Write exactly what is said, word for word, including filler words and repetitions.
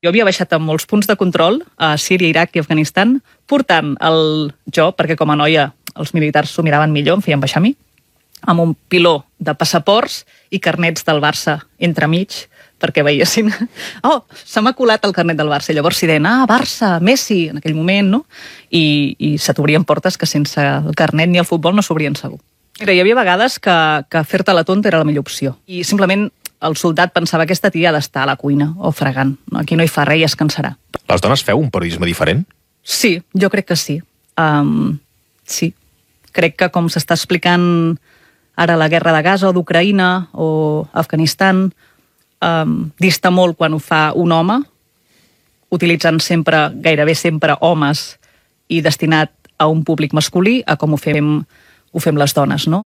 Jo havia baixat amb molts punts de control a Síria, Iraq i Afganistan, portant el jo, perquè com a noia els militars s'ho miraven millor, em feien baixar a mi, amb un piló de passaports i carnets del Barça entremig, perquè veiessin... Oh, se m'ha colat el carnet del Barça. I llavors s'hi deien, ah, Barça, Messi, en aquell moment, no? I, i se t'obrien portes que sense el carnet ni el futbol no s'obrien segur. Mira, hi havia vegades que, que fer-te la tonta era la millor opció. I simplement el soldat pensava que aquesta tia ha d'estar a la cuina o fregant. No? Aquí no hi fa res i es cansarà. Les dones feu un periodisme diferent? Sí, jo crec que sí. Um, sí. Crec que com s'està explicant ara la guerra de Gaza o d'Ucraïna o Afganistan, um, dista molt quan ho fa un home, utilitzant sempre, gairebé sempre, homes i destinat a un públic masculí, a com ho fem, ho fem les dones, no?